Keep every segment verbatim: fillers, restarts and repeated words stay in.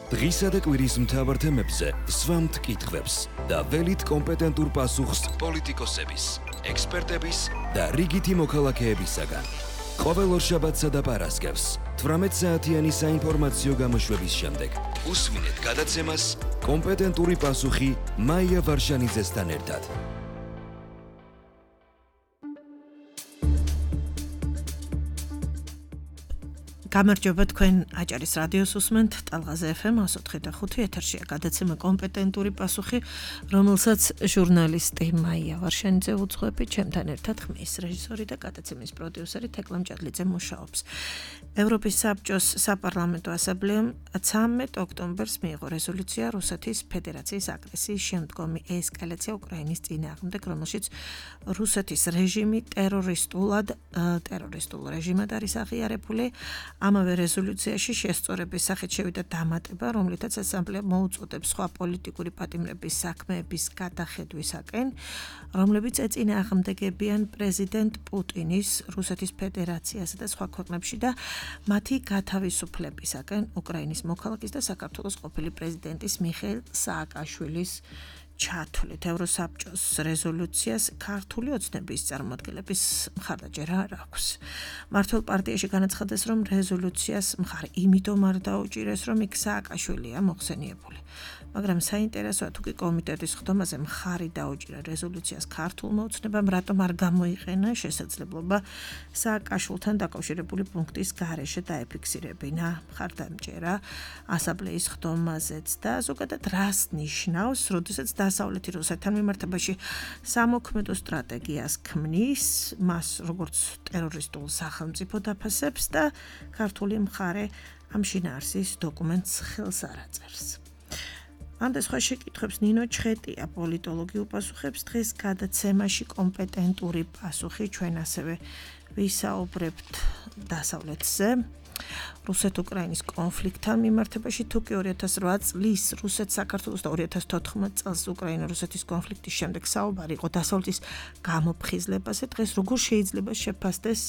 დღისა და კვირის მთავარ თემებზე სვამთ კითხვებს და ველით კომპეტენტურ პასუხს პოლიტიკოსების, ექსპერტების და რიგითი მოქალაქეებისაგან. ყოველ ორშაბათსა და პარასკევს თვრამეტ საათიანი საინფორმაციო გამოშვების შემდეგ უსვინეთ გადაცემას კომპეტენტური პასუხი მაია ვარშანიძესთან ერთად. გამარჯობა თქვენ აჭარის რადიოს უსმენთ ტალღაზე ეფ ემ εκατო ოთხი და ხუთი ეთერშია გადაცემა კომპეტენტური პასუხი, რომელსაც ჟურნალისტი მაია ვარშანიძე უძღვები, ჩემთან ერთად ხმის რეჟისორი და გადაცემის პროდიუსერი თეკლა მჭადლიძე მუშაობს. ევროპის საბჭოს საპარლამენტო ასამბლეამ ცამეტ ოქტომბერს მიიღო რეზოლუცია რუსეთის ფედერაციის აგრესიის შემდგომი ესკალაცია უკრაინის წინააღმდეგ, რომელშიც რუსეთის რეჟიმი ტერორისტულად ტერორისტულ რეჟიმად არის აღიარებული. ამავე რეზოლუციაში შესწორების სახით შევიდა დამატება, რომლითაც ასამბლეა მოუწოდებს სხვა პოლიტიკური პატიმრების საქმეების გადახედვისაკენ, რომლებიც ეწინააღმდეგებიან პრეზიდენტ პუტინის, რუსეთის ფედერაციასა და სხვა ქვეყნებში და მათი გათავისუფლებისაკენ უკრაინის მოქალაქის და საქართველოს ყოფილი პრეზიდენტის მიხეილ სააკაშვილის ჩათვლით. ევროსაბჭოს რეზოლუციას ქართული ოცნების წარმომადგენლების მხარდაჭერა არ აქვს. მართლ პარტიაში განაცხადეს, რომ რეზოლუციას მხარი იმიტომ არ დაუჭირეს, რომ იქ სააკაშვილია მოხსენიებული. მაგრამ საინტერესოა, თუ კი კომიტეტის ხდომაზე მხარი დაუჭირა რეზოლუციას ქართულმა ოცნებამ, რატომ არ გამოიყენა შესაძლებლობა სააკაშვილთან დაკავშირებული პუნქტის გარეშე დაეფიქსირებინა მხარდამჭერა ასამბლეის ხდომაზეც და ზოგადად რას ნიშნავს, როდესაც დასავლეთი რუსეთთან მიმართებაში სამოქმედო სტრატეგიას ქმნის, მას როგორც ტერორისტულ სახელმწიფო დაფასებს და ქართული მხარე ამ შინაარსის დოკუმენტს ხელს არ აწერს. ამ და სხვა შეკითხვებს ნინო ჩხეტია პოლიტოლოგი უპასუხებს დღეს გადაცემაში კომპეტენტური პასუხი. ჩვენ ასევე ვისაუბრებთ დასავლეთზე, რუსეთ-უკრაინის კონფლიქტთან მიმართებაში, თუ კი ორი ათას რვა წლის რუსეთ-საქართველოს და ორი ათას თოთხმეტ წელს უკრაინა-რუსეთის კონფლიქტის შემდეგ საუბარი იყო დასავლეთის გამოფხიზლებაზე, დღეს როგორ შეიძლება შეფასდეს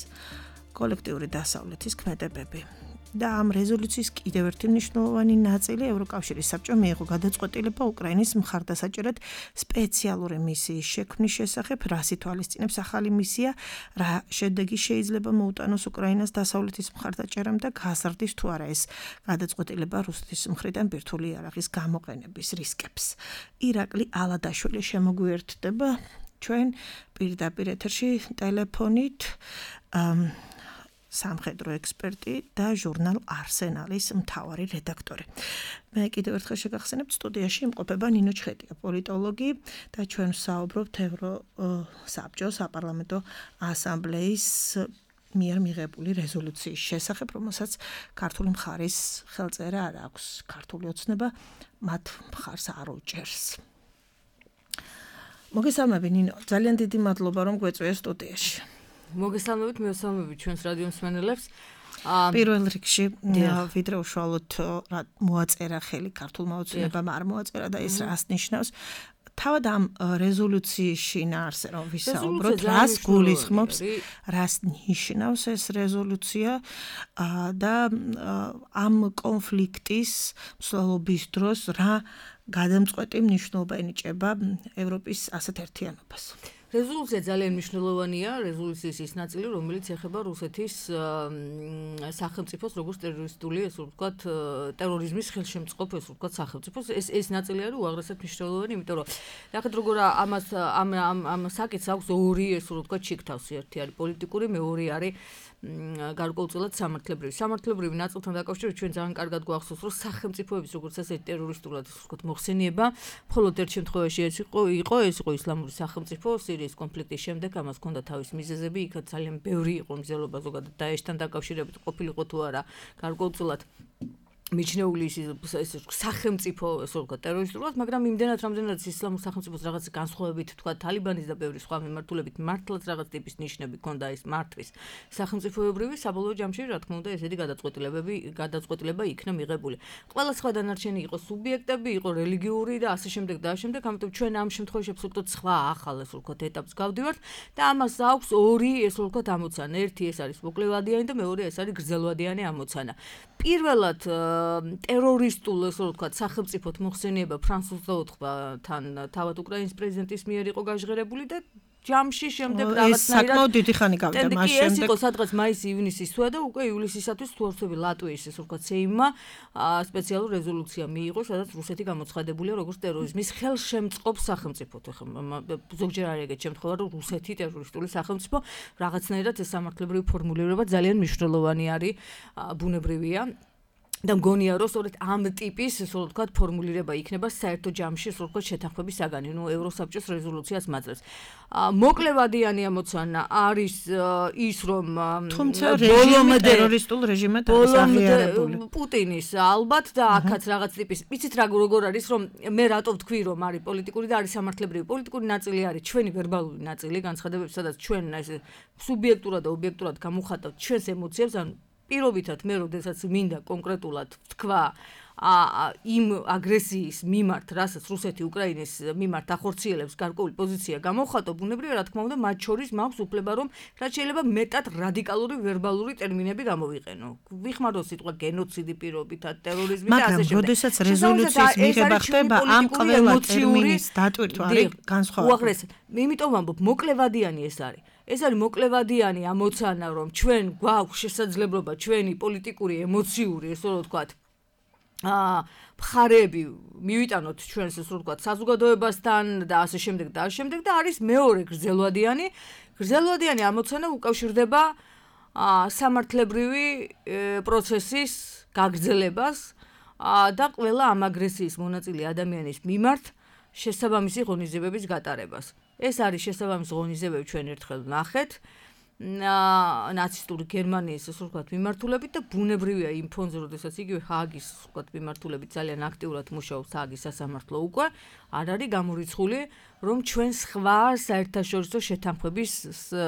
კოლექტიური დასავლეთის ქმედებები. და ამ რეზოლუციის კიდევ ერთი მნიშვნელოვანი ნაწილი ევროკავშირის საბჭომ მიიღო გადაწყვეტილება უკრაინის მხარდასაჭერად სპეციალური მისიის შექმნის შესახებ, რას ითვალისწინებს ახალი მისია, რა შედეგი შეიძლება მოუტანოს უკრაინას დასავლეთის მხარდაჭერამ და გაზრდის თუ არა ეს გადაწყვეტილება რუსეთის მხრიდან ბირთვული იარაღის გამოყენების რისკებს. ირაკლი ალადაშვილი შემოგვიერთდება ჩვენ პირდაპირ ეთერში ტელეფონით, სამხედრო ექსპერტი და ჟურნალ არსენალის მთავარი რედაქტორი. მე კიდევ ერთხელ შეგახსენებთ, სტუდიაში იმყოფება ნინო ჩხეტია, პოლიტოლოგი და ჩვენ ვსაუბრობთ ევროსაბჭოს საპარლამენტო ასამბლეის მიერ მიღებული რეზოლუციის შესახებ, რომელსაც ქართული მხარის ხელწერა არ აქვს. ქართული ოცნება მათ მხარს არ უჭერს. მოგესალმები ნინო, ძალიან დიდი მადლობა რომ გვეწვია სტუდიაში. მოგესალმებით, მივესალმებით ჩვენს რადიო მსმენელებს. პირველ რიგში ვიდრე უშუალოდ მოაწერა ხელი ქართულმა ოცნებამ არ მოაწერა და ეს რას ნიშნავს? თავად ამ რეზოლუციის შინაარსზე რომ ვისაუბროთ, რას გულისხმობს, რას ნიშნავს ეს რეზოლუცია და ამ კონფლიქტის მსვლელობის დროს რა გადამწყვეტი მნიშვნელობა ენიჭება ევროპის ასეთ ერთიანობას. რეზოლუცია ძალიან მნიშვნელოვანია, რეზოლუციის ის ნაწილი, რომელიც ეხება რუსეთის სახელმწიფოს როგორც ტერორისტული, ესე ვთქვათ, ტერორიზმის ხელშემწყობ, ესე ვთქვათ, სახელმწიფოს. ეს ეს ნაწილი არის უაღრესად მნიშვნელოვანი, იმიტომ რომ ნახეთ როგორ ამას ამ ამ ამ საკითხს აქვს ორი, ესე ვთქვათ, შიგთავსი, ერთი არის პოლიტიკური, მეორე არის გარკვეულწილად სამართლებრივი. სამართლებრივი ნაწილთან დაკავშირებით ჩვენ ძალიან კარგად გვახსოვს, რომ სახელმწიფოების როგორც ასეთი ტერორისტულად, ესე ვთქვათ, მოხსენება, მხოლოდ ერთ შემთხვევაში ეს იყო, იყო ეს იყო ისლამური სახელმწიფო სირიის კონფლიქტის შემდეგ, ამას ჰქონდა თავის მიზეზები, იქ ძალიან ბევრი იყო მიზეზობა ზოგადად დაეშთან დაკავშირებით ყოფილიყო თუ არა გარკვეულწილად მიჩნეული ის სახელმწიფო ესე ვთქვათ ტერორისტულად, მაგრამ იმდენად რამდენადაც ისლამურ სახელმწიფოს რაღაც განსხვავებით თქვა თალიბანის და ბევრი სხვა მიმართულებით მართლაც რაღაც ტიპის ნიშნები ჰქონდა ის მართვის სახელმწიფოებრივი, საბოლოო ჯამში რა თქმა უნდა ესეთი გადაწყვეტილებები გადაწყვეტილება იქნა მიღებული. ყველა სხვა დანარჩენი იყო სუბიექტები, იყო რელიგიური და ასე შემდეგ და ასე შემდეგ, ამიტომ ჩვენ ამ შემთხვევაში აბსოლუტურად სხვა ახალ ესე ვთქვათ ეტაპს გავდივართ და ამას აქვს ორი ესე ვთქვათ ამოცანა. ერთი ეს არის მოკლევადიანი და მეორე ეს არის გრძელვადიანი ამოცანა. პირველად ტერორისტულ, ასე რომ ვთქვათ, სახელმწიფოთ მოხსენება ფრანსუს დაოთხბათან თავად უკრაინის პრეზიდენტის მიერ იყო გაჟღერებული და ჯამში შემდეგ რაღაცნაირად საკმაოდ დიდი ხანი გავიდა მას შემდეგ. ეს იყო სადღაც მაისი-ივნისის თვე და უკვე ივლისისათვის თუ არ ვთქვი ლატვიის ესე ვთქვათ სეიმმა სპეციალური რეზოლუცია მიიღო, სადაც რუსეთი გამოცხადებულია როგორც ტერორიზმის ხელშემწყობ სახელმწიფოდ. ზოგჯერ არის ეგეთ შემთხვევა, რომ რუსეთი ტერორისტული სახელმწიფო, რაღაცნაირად ეს სამართლებრივი ფორმულირება ძალიან მნიშვნელოვანი არის, ბუნებრივია. და მგონია რომ სწორედ ამ ტიპის ასე ვთქვათ ფორმულირება იქნება საერთო ჯამში ასე ვთქვათ შეთანხმების საგანი, ნუ ევროსაბჭოს რეზოლუციას მაძლევს. მოკლევადიანი ამოცანა არის ის რომ თუმცა რეჟიმი ტერორისტულ რეჟიმად არის აღიარებული. პუტინის ალბათ და აქაც რაღაც ტიპის ვიცით რა როგორ არის რომ მე რატო ვთქვი რომ არის პოლიტიკური და არის სამართლებრივი. პოლიტიკური ნაწილი არის ჩვენი ვერბალური ნაწილი, განცხადებები, სადაც ჩვენ ეს სუბიექტურად და ობიექტურად გამოვხატავთ ჩვენს ემოციებს, ანუ პირობითად მე როდესაც მინდა კონკრეტულად ვთქვა იმ აგრესიის მიმართ, რასაც რუსეთი უკრაინის მიმართ ახორციელებს გარკვეული პოზიცია გამოვხატო, ბუნებრივია რა თქმა უნდა მათ შორის მაქვს უფლება რომ რაც შეიძლება მეტად რადიკალური ვერბალური ტერმინები გამოვიყენო. ვიხმარო სიტყვა გენოციდი პირობითად, ტერორიზმი და ასე შემდეგ. მაგრამ როდესაც რეზოლუციის მიღება ხდება ამ ყველა ტერმინის დატვირთვა არის განსხვავებული. უაღრესად, იმიტომ ვამბობ, მოკლევადიანი ეს არის. ეს არის მოკლევადიანი ამოცანა, რომ ჩვენ გვაქვს შესაძლებლობა ჩვენი პოლიტიკური, ემოციური, ესე რომ ვთქვათ, აა მხარეები მივიტანოთ ჩვენს ესე რომ ვთქვათ, საზოგადოებასთან და ასე შემდეგ და ასე შემდეგ და არის მეორე გრძელვადიანი, გრძელვადიანი ამოცანა უკავშირდება აა სამართლებრივი პროცესის გაგრძელებას და ყველა ამ აგრესიის მონაწილე ადამიანის მიმართ შესაბამისი ღონისძიებების გატარებას. ეს არის შესაბამისი ღონისძიებები ჩვენ ერთხელ ნახეთ ნაცისტური გერმანიის ასე ვთქვათ მიმართულებით და ბუნებრივია იმ ფონზე, როდესაც იგივე ჰააგის ასე ვთქვათ მიმართულებით ძალიან აქტიურად მუშაობს ჰააგის სასამართლო უკვე, არ არის გამორიცხული, რომ ჩვენ სხვა საერთაშორისო შეთანხმების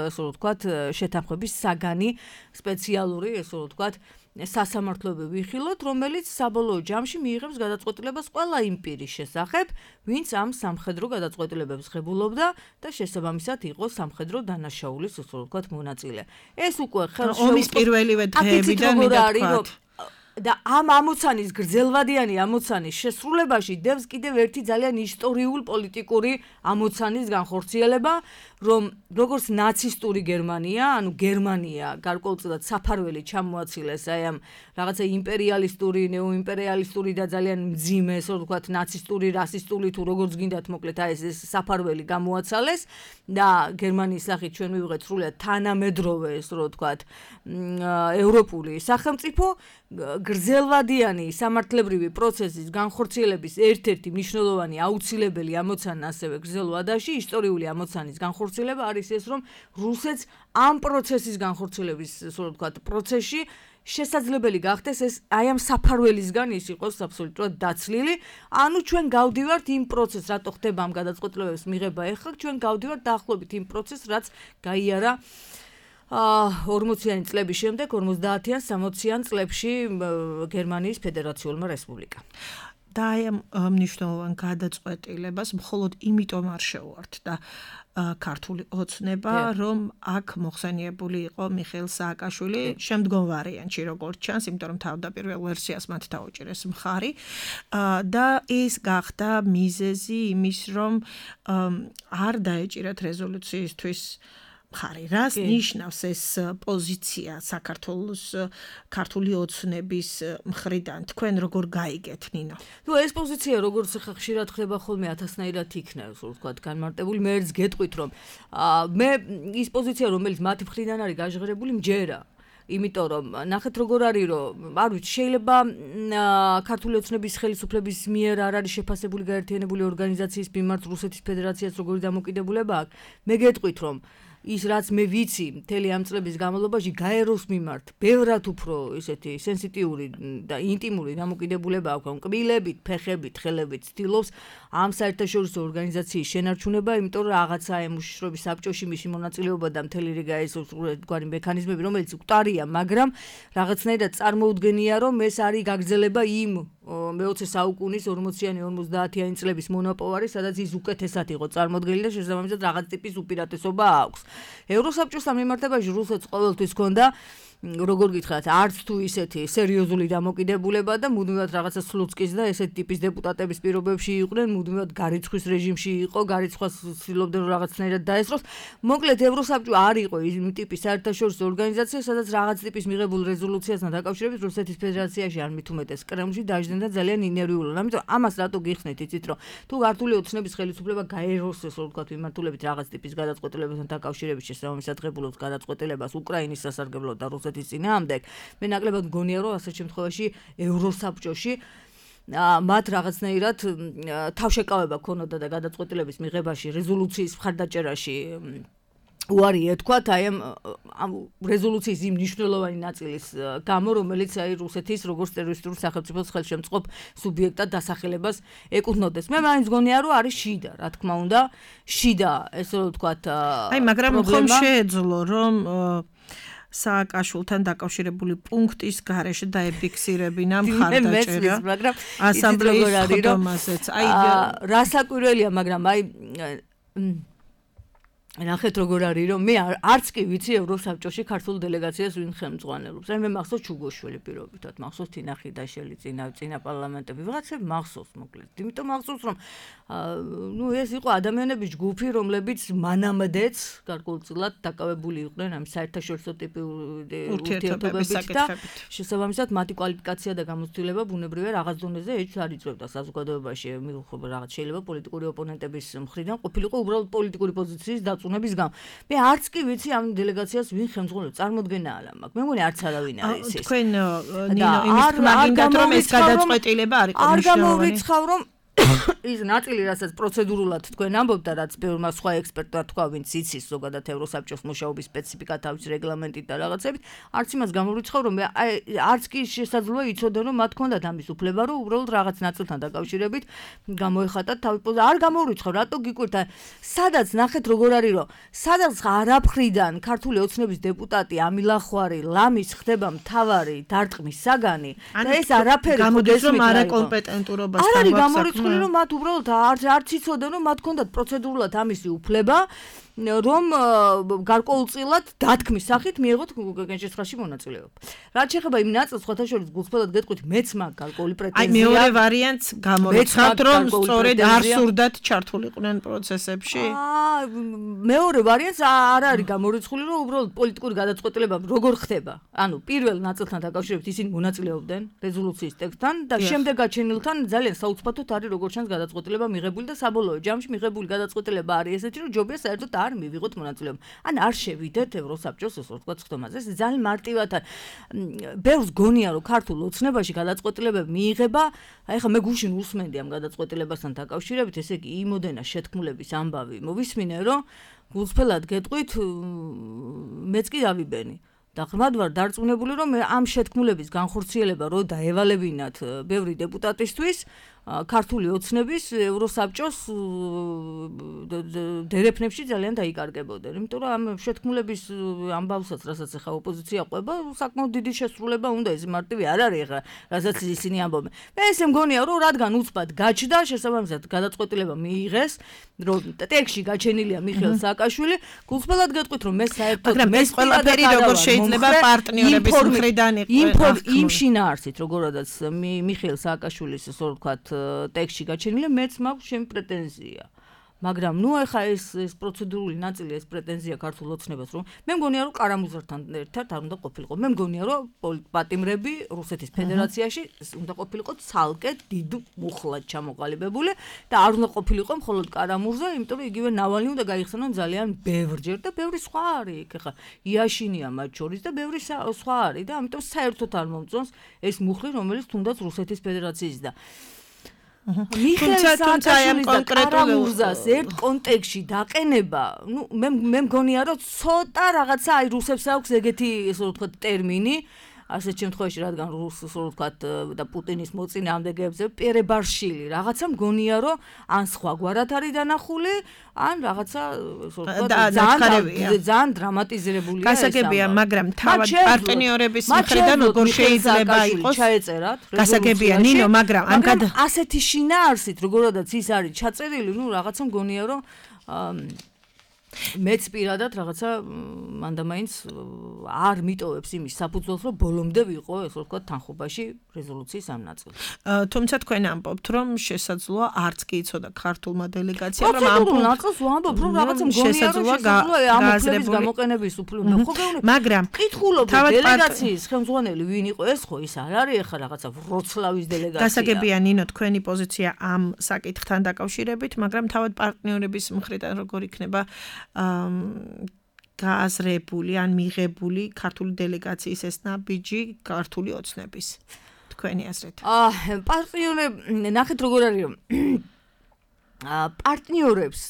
ასე ვთქვათ შეთანხმების საგანი სპეციალური ასე ვთქვათ სასამართლოები ვიხილოთ, რომელიც საბოლოო ჯამში მიიღებს გადაწყვეტილებას ყველა იმ პირის შესახებ, ვინც ამ სამხედრო გადაწყვეტილებებს ღებულობდა და შესაბამისად იყო სამხედრო დანაშაულის ასე ვთქვათ მონაწილე. ეს უკვე ხელშეუწყობს ომის პირველივე დღეებიდან მიდაქვთ. და ამ ამოცანის გრძელვადიანი ამოცანის შესრულებაში დევს კიდევ ერთი ძალიან ისტორიულ პოლიტიკური ამოცანის განხორციელება, რომ როგორც ნაცისტური გერმანია, ანუ გერმანია გარკვეულწილად საფარველი ჩამოაცილეს აი ამ რაღაცა იმპერიალისტური, ნეოიმპერიალისტური და ძალიან მძიმე, ასე ვთქვათ, ნაცისტური, რასისტული თუ როგორც გინდათ მოკლედ აი ეს საფარველი გამოაცალეს და გერმანიის სახით ჩვენ მივიღეთ სრულიად თანამედროვე, ასე ვთქვათ, ევროპული სახელმწიფო გრძელვადიანი სამართლებრივი პროცესის განხორციელების ერთ-ერთი მნიშვნელოვანი აუცილებელი ამოცანა ასევე გრძელვადაში ისტორიული ამოცანის განხორციელება არის ეს, რომ რუსეთს ამ პროცესის განხორციელების, ასე ვთქვათ, პროცესში შესაძლებელი გახდეს ეს აი ამ საფარველისგან ის იყოს აბსოლუტურად დაცლილი. ანუ ჩვენ გავდივართ იმ პროცესს, რატო ხდება ამ გადაწყვეტილებების მიღება ეხლა, ჩვენ გავდივართ დაახლოებით იმ პროცესს, რაც გაიარა ორმოციანი წლების შემდეგ, ორმოცდაათიან, სამოციან წლებში გერმანიის ფედერაციულმა რესპუბლიკამ. და აი ამ მნიშვნელოვან გადაწყვეტილებას მხოლოდ იმიტომ არ შეუართ და ქართული ოცნება, რომ აქ მოხსენიებული იყო მიხეილ სააკაშვილი შემდგომ ვარიანტში, როგორც ჩანს, იმიტომ რომ თავდაპირველ ვერსიას მათ დაუჭირეს მხარი და ეს გახდა მიზეზი იმის, რომ არ დაეჭირათ რეზოლუციისთვის მხარი. რას ნიშნავს ეს პოზიცია საქართველოს ქართული ოცნების მხრიდან? თქვენ როგორ გაიგეთ, ნინო? თუ ეს პოზიცია როგორც ხა ხშირად ხდება ხოლმე ათასნაირად იქნევს, ვთქვათ, განმარტებული, მე ერთს გეტყვით, რომ მე ის პოზიცია, რომელიც მათი მხრიდან არის გაჟღერებული, მჯერა. იმიტომ რომ ნახეთ როგორ არის, რომ არ ვიცი, შეიძლება ქართული ოცნების ხელისუფლების მიერ არ არის შეფასებული გაერთიანებული ორგანიზაციის მიმართ რუსეთის ფედერაციას როგორი დამოკიდებულება აქვს. მე გეტყვით, რომ ის რაც მე ვიცი მთელი ამ წლების განმავლობაში გაეროს მიმართ ბევრად უფრო ესეთი სენსიტიური და ინტიმური დამოკიდებულება აქვს კბილებით, ფეხებით, ხელებით ცდილობს ამ საერთაშორისო ორგანიზაციის შენარჩუნება, იმიტომ რომ რაღაცა ემუშრობის საბჭოში მისი მონაწილეობა და მთელი რიგი ეს გვარი მექანიზმები, რომელიც მკვდარია, მაგრამ რაღაცნაირად წარმოუდგენია, რომ ეს არის გაგრძელება იმ მეოცე საუკუნის ორმოციანი ორმოცდაათიანი წლების მონაპოვარი, სადაც ის უკეთესად იყო წარმოდგენილი და შესაბამისად რაღაც ტიპის უპირატესობა აქვს. ევროსაბჭოსთან მიმართებაში რუსეთს ყოველთვის ჰქონდა როგორ გითხრათ, არც თუ ისეთი სერიოზული დამოკიდებულება და მუდმივად რაღაცა სლუცკის და ესეთ ტიპის დეპუტატების პირობებში იყვნენ, მუდმივად გარიცხვის რეჟიმში იყო, გარიცხვას ცდილობდნენ რომ რაღაცნაირად დაესწროს. მოკლედ ევროსაბჭო არ იყო იმ ტიპის საერთაშორისო ორგანიზაცია, სადაც რაღაც ტიპის მიღებულ რეზოლუციასთან დაკავშირებით რუსეთის ფედერაციაში არ მით უმეტეს კრემლში დაждდენ და ძალიან ინერვიულობდნენ. ამიტომ ამას რატო გიხსნით, იცით რომ თუ ქართული ოცნების ხელისუფლება გაეროსეს, რომ ვთქვათ, მიმართულებით რაღაც ტიპის გადაწყვეტილებასთან დაკავშირებით შესაბამის ადგებულობს გადაწყვეტილებას უკრაინის სასარგებლოდ და რუსეთის წინააღმდეგ, მე ნაკლებად მგონია რომ ასეთ შემთხვევაში ევროსაბჭოში მათ რაღაცნაირად თავშეკავება ქონოდა და გადაწყვეტილების მიღებაში, რეზოლუციის მხარდაჭერაში უარი ეთქვათ აი ამ რეზოლუციის იმ მნიშვნელოვანი ნაწილის გამო, რომელიც აი რუსეთის როგორც ტერორისტული სახელმწიფოს ხელშემწყობ სუბიექტად დასახელებას ეკუთვნოდეს. მე მაინც მგონია რომ არის შიდა, რა თქმა უნდა, შიდა, ესე რომ ვთქვათ, აი მაგრამ ხომ შეეძლო რომ სააკაშვილთან დაკავშირებული პუნქტის გარეშე დაეფიქსირებინა მხარდაჭერა, მაგრამ ასამბლეის ხდომაზეც. აი რასაკვირველია, მაგრამ აი ნახეთ როგორ არის რომ მე არც კი ვიცი ევროსაბჭოში ქართულ დელეგაციას ვინ ხელმძღვანელობს. აი მე მახსოვს ჩუგოშვილი პირობითად, მახსოვს თინახიდაშელი წინა წინა პარლამენტები, ვიღაცები მახსოვს მოკლედ. იმიტომ მახსოვს რომ ნუ ეს იყო ადამიანების ჯგუფი, რომლებიც მანამდეც გარკვეულწილად დაკავებული იყვნენ ამ საერთაშორისო ტიპის ურთიერთობებით და შესაბამისად მათი კვალიფიკაცია და გამოცდილება ბუნებრივია რაღაც დონეზე ეჭვს არ იწვევდა საზოგადოებაში, მიღება რაღაც შეიძლება პოლიტიკური ოპონენტების მხრიდან ყოფილიყო უბრალოდ პოლიტიკური პოზიციის დაწუნების გამო. მე არც კი ვიცი ამ დელეგაციას ვინ ხელმძღვანელობს, წარმოდგენა არ მაქვს. მე მგონი არც არავინ არის ეს. თქვენ ნინო იმის თქმა გინდათ რომ ეს გადაწყვეტილება არ იყო მნიშვნელოვანი. არ გამოვიცხავ რომ ის ნაწილი, რასაც პროცედურულად თქვენ ამბობთ და რაც ბევრმა სხვა ექსპერტმა თქვა, ვინც იცის ზოგადად ევროსაბჭოს მუშაობის სპეციფიკა თავის რეგლამენტით და რაღაცებით, არც იმას გამოვიცხავ რომ არც კი შესაძლოა იცოდე რომ მათ ჰქონდათ ამის უფლება, რომ უბრალოდ რაღაც ნაწილთან დაკავშირებით გამოეხატათ თავი პოზიცია. არ გამოვიცხავ, რატო გიკვირთ? სადაც ნახეთ როგორ არის რომ სადაც არაფრიდან ქართული ოცნების დეპუტატი ამილახვარი ლამის ხდება მთავარი დარტყმის საგანი და ეს არაფერი გამოდის რომ არაკომპეტენტურობასთან არის გამორიცხული რომ მათ უბრალოდ არც არც იცოდნენ რომ მათ ჰქონდათ პროცედურულად ამისი უფლება რომ გარკვეულწილად დათქმის სახით მიიღოთ გენშესხალში მონაწილეობა. რაც შეეხება იმ ნაწილს, სხვათა შორის გულწრფელად გეტყვით, მეც მაგ გარკვეული პრეტენზია. აი მეორე ვარიანტს გამორიცხავთ, რომ სწორედ არ სურდათ ჩართულიყვნენ პროცესებში? აა მეორე ვარიანტს არ არის გამორიცხული, რომ უბრალოდ პოლიტიკური გადაწყვეტილება როგორ ხდება. ანუ პირველ ნაწილთან დაკავშირებით ისინი მონაწილეობდნენ რეზოლუციის ტექსტთან და შემდეგ გაჩენილთან ძალიან საუცბათოდ არის როგორ ჩანს გადაწყვეტილება მიღებული და საბოლოო ჯამში მიღებული გადაწყვეტილება არის ესეთი, რომ ჯობია საერთოდ არ მივიღოთ მონაწილეობა. ან არ შევიდეთ ევროსაბჭოს ეს ვთქვათ ხდომაზე. ეს ძალიან მარტივად ბევრს გონია რომ ქართულ ოცნებაში გადაწყვეტილებები მიიღება, აი ხა მე გუშინ უსმენდი ამ გადაწყვეტილებასთან დაკავშირებით, ესე იგი იმოდენა შეთქმულების ამბავი მოვისმინე, რომ გულწრფელად გეტყვით, მეც კი დავიბენი. და ღრმად ვარ დარწმუნებული რომ ამ შეთქმულების განხორციელება რო დაევალებინათ ბევრი დეპუტატისთვის ქართული ოცნების ევროსაბჭოს დერეფნებში ძალიან დაიკარგებოდნენ. იმიტომ რომ ამ შეთქმულების ამბავსაც, რასაც ახლა ოპოზიცია ყვება, საკმაოდ დიდი შესრულება უნდა, ეს მარტივი არ არის ახლა, რასაც ისინი ამბობენ. მე ესე მგონია რომ რადგან უცბად გაჩნდა, შესაბამისად გადაწყვეტილება მიიღეს, რომ ტექსტში გაჩენილია მიხეილ სააკაშვილი, გულწრფელად გეტყვით რომ მე საერთოდ მაგრამ ეს ყველაფერი როგორ შეიძლება პარტნიორების მხრიდან იყო იმ შინაარსით, როგორადაც მიხეილ სააკაშვილის ასე ვთქვათ ტექსტში გაჩენილი, მეც მაქვს ჩემი პრეტენზია. მაგრამ ნუ ეხა ეს ეს პროცედურული ნაწილი, ეს პრეტენზია ქართულ ოცნებას, რომ მე მგონია რომ კარამუზართან ერთად არ უნდა ყოფილიყო. მე მგონია რომ პატიმრები რუსეთის ფედერაციაში უნდა ყოფილიყო ცალკე დიდ მუხლად ჩამოყალიბებული და არ უნდა ყოფილიყო მხოლოდ კარამურზა, იმიტომ რომ იგივე ნავალნი უნდა გაიხსენონ ძალიან ბევრჯერ და ბევრი სხვა არის იქ. ეხა იაშინია მათ შორის და ბევრი სხვა არის და ამიტომ საერთოდ არ მომწონს ეს მუხლი, რომელიც თუნდაც რუსეთის ფედერაციის და მიხეილ სააკაშვილის და კარამურზას ერთ კონტექსტში დაყენება, ნუ მე მე მგონია რომ ცოტა რაღაცა აი რუსებს აქვს ეგეთი ესე ვთქვათ ტერმინი, ასეთ შემთხვევაში რადგან რუსს ასე ვთქვათ და პუტინის მოწინააღმდეგეებზე პერებარშილი, რაღაცა მგონია რომ ან სხვაგვარად არის დანახული, ან რაღაცა ასე ვთქვათ ძალიან დრამატიზირებულია ეს. გასაგებია, მაგრამ თავად პარტნიორების მხრიდან როგორ შეიძლება იყოს ჩაეწერათ გასაგებია ნინო, მაგრამ ამ ასეთი შინაარსით, როგორადაც ის არის ჩაწერილი, ნუ რაღაცა მგონია რომ მეც პირადად რაღაცა მანდამაინც არ მიტოვებს იმის საფუძველს, რომ ბოლომდე ვიყო, ესე ვთქვათ, თანხმობაში რეზოლუციის ამ ნაწილს. თუმცა თქვენ ამბობთ, რომ შესაძლოა არც კი იცოდა ქართულმა დელეგაციამ, რომ ამ ნაწილს ვამბობ, რომ რაღაცა მგონია, რომ შესაძლოა ამ უფლების გამოყენების უფლება. ხო გეუბნები, მაგრამ კითხულობ დელეგაციის ხელმძღვანელი ვინ იყო, ეს ხო ის არ არის ახლა რაღაცა ვროცლავის დელეგაცია. გასაგებია ნინო, თქვენი პოზიცია ამ საკითხთან დაკავშირებით, მაგრამ თავად პარტნიორების მხრიდან როგორ იქნება გააზრებული ან მიღებული ქართული დელეგაციის ეს ნაბიჯი ქართული ოცნების თქვენი აზრით? აა პარტნიორები ნახეთ როგორ არის აა პარტნიორებს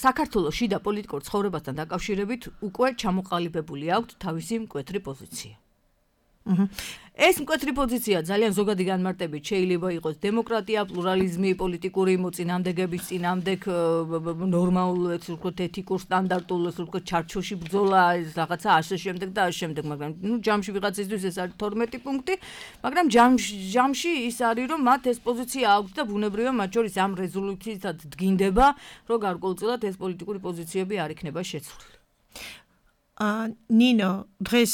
საქართველოს შიდა პოლიტიკურ ცხოვრებასთან დაკავშირებით უკვე ჩამოყალიბებული აქვთ თავისი მკვეთრი პოზიცია. ეს მკვეთრი პოზიცია ძალიან ზოგადი განმარტებით შეიძლება იყოს დემოკრატია, პლურალიზმი, პოლიტიკური მოწინააღმდეგების წინააღმდეგ ნორმალურ, ასე ვთქვათ, ეთიკურ სტანდარტულ, ასე ვთქვათ, ჩარჩოში ბრძოლა, რაღაცა ასე შემდეგ და ასე შემდეგ, მაგრამ ნუ ჯამში ვიღაცისთვის ეს არის თორმეტი პუნქტი, მაგრამ ჯამში ის არის, რომ მათ ეს პოზიცია აქვს და ბუნებრივია მათ შორის ამ რეზოლუციით დგინდება, რომ გარკვეულწილად ეს პოლიტიკური პოზიციები არ იქნება შეცვლილი. ა ნინო დღეს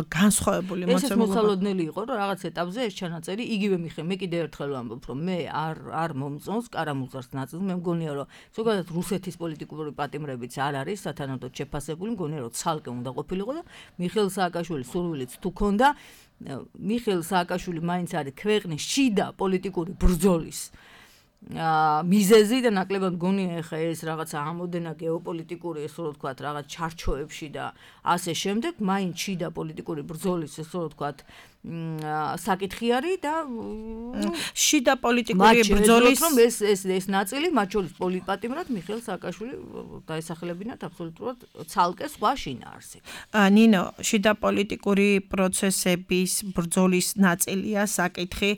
განსხვავებული მოცემულობა ეს მოსალოდნელი იყო რომ რაღაც ეტაპზე ეს ჩანაწერი იგივე მიხე მე კიდევ ერთხელ ვამბობ რომ მე არ არ მომწონს კარამუზარს ნაწილს მე მგონია რომ ზოგადად რუსეთის პოლიტიკური პატიმრებიც არ არის სათანადოდ შეფასებული მგონია რომ ცალკე უნდა ყოფილიყო და მიხეილ სააკაშვილის სურვილიც თუ ქონდა მიხეილ სააკაშვილი მაინც არის ქვეყნის შიდა პოლიტიკური ბრძოლის აა მიზეზი და ნაკლებად გონია ეხა ეს რაღაცა ამოდენა გეოპოლიტიკური ესე რომ ვთქვათ რაღაც ჩარჩოებში და ასე შემდეგ მაინც შიდა პოლიტიკური ბრძოლის ესე რომ ვთქვათ საკითხი არის და შიდა პოლიტიკური ბრძოლის რომ ეს ეს ეს ნაწილი მათ შორის პოლიტპატიმრად მიხეილ სააკაშვილი დაესახელებინათ აბსოლუტურად ცალკე სხვა შინაარსი. ნინო შიდა პოლიტიკური პროცესების ბრძოლის ნაწილია საკითხი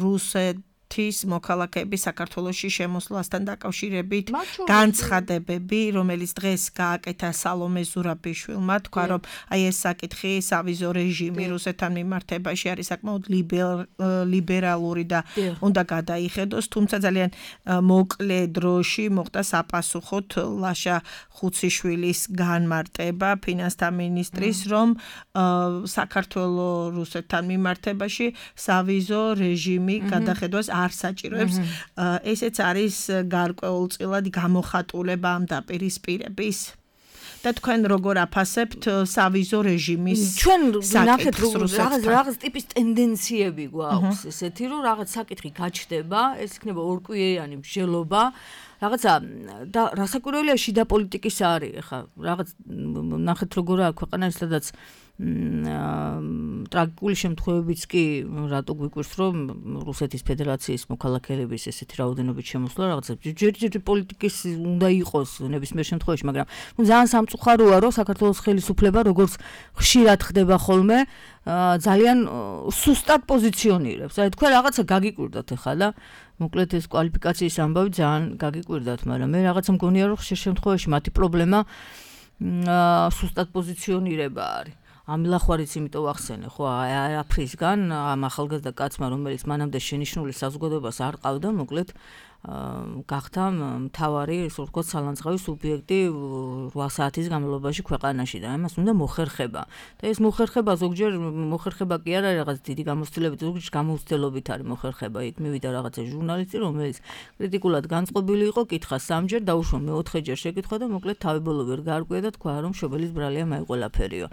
რუსეთ თის მოქალაქეების საქართველოში შემოსვლასთან დაკავშირებით განცხადებები, რომელიც დღეს გააკეთა სალომე ზურაბიშვილმა, თქვა რომ აი ეს საკითხი სავიზო რეჟიმი რუსეთთან მიმართებაში არის საკმაოდ ლიბერალური და უნდა გადაიხედოს, თუმცა ძალიან მოკლე დროში მოხდა საპასუხოდ ლაშა ხუციშვილის განმარტება ფინანსთა მინისტრის, რომ საქართველოს რუსეთთან მიმართებაში სავიზო რეჟიმი გადახედოს არ საჭიროებს ესეც არის გარკვეულწილად გამოხატულება ამ დაპირისპირების და თქვენ როგორ აფასებთ სავიზო რეჟიმის ჩვენ ნახეთ რაღაც რაღაც ტიპის ტენდენციები გვაქვს ესეთი რომ რაღაც საკითხი გაჩნდება ეს იქნება ორკვირიანი მსჯელობა რაღაცა და რასაკვირველია შიდა პოლიტიკის არის ახლა რაღაც ნახეთ როგორ აქვს ქვეყანა სადაც ტრაგიკული შემთხვევებიც კი რატო გვიკვირს რომ რუსეთის ფედერაციის მოქალაქეების ესეთი რაოდენობით შემოსვლა რაღაცა ჯერჯერობით პოლიტიკის უნდა იყოს ნებისმიერ შემთხვევაში მაგრამ ნუ ძალიან სამწუხაროა რომ საქართველოს ხელისუფლება როგორც ხშირად ხდება ხოლმე ძალიან სუსტად პოზიციონირებს აი თქვენ რაღაცა გაგიკვირდათ ახლა და მოკლედ ეს კვალიფიკაციის ამბავი ძალიან გაგიკვირდათ მაგრამ მე რაღაცა მგონია რომ ხშირ შემთხვევაში მათი პრობლემა სუსტად პოზიციონირება არის ამილახვარიც იმიტომ ვახსენე ხო არაფრისგან ამ ახალგაზრდა კაცმა რომელიც მანამდე შენიშნული საზოგადოებას არ ყავდა მოკლედ გახდა მთავარი ისე ვთქვათ სალანძღავი სუბიექტი რვა საათის განმავლობაში ქვეყანაში და ამას უნდა მოხერხება და ეს მოხერხება ზოგჯერ მოხერხება კი არ არის რაღაც დიდი გამოცდილებით ზოგჯერ გამოცდილობით არის მოხერხება იქ მივიდა რაღაცა ჟურნალისტი რომელიც კრიტიკულად განწყობილი იყო კითხა სამჯერ დაუშვა მეოთხეჯერ შეკითხვა და მოკლედ თავი ბოლო ვერ გაარკვია და თქვა რომ შობელის ბრალია მაიყოლაფერიო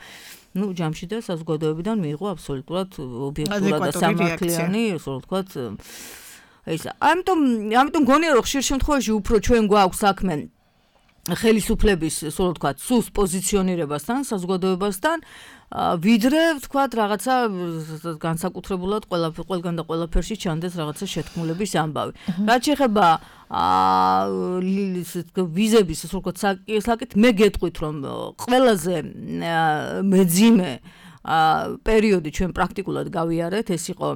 ну ჯამში და საზოგადოებიდან მიიღო აბსოლუტურად ობიექტურად და სამართლიანი ისე ვთქვათ ეს ამიტომ ამიტომ გონია რომ ხშირ შემთხვევაში უფრო ჩვენ გვაქვს საქმე ხელისუფლების ისე ვთქვათ სუს პოზიციონირებასთან საზოგადოებასთან ვიდრე ვთქვათ რაღაცა განსაკუთრებულად ყველა ყველგან და ყველაფერში ჩანდეს რაღაცა შეთქმულების ამბავი რაც შეეხება ვიზების ისე ვთქვათ საკითხ მე გეტყვით რომ ყველაზე მეძიმე პერიოდი ჩვენ პრაქტიკულად გავიარეთ, ეს იყო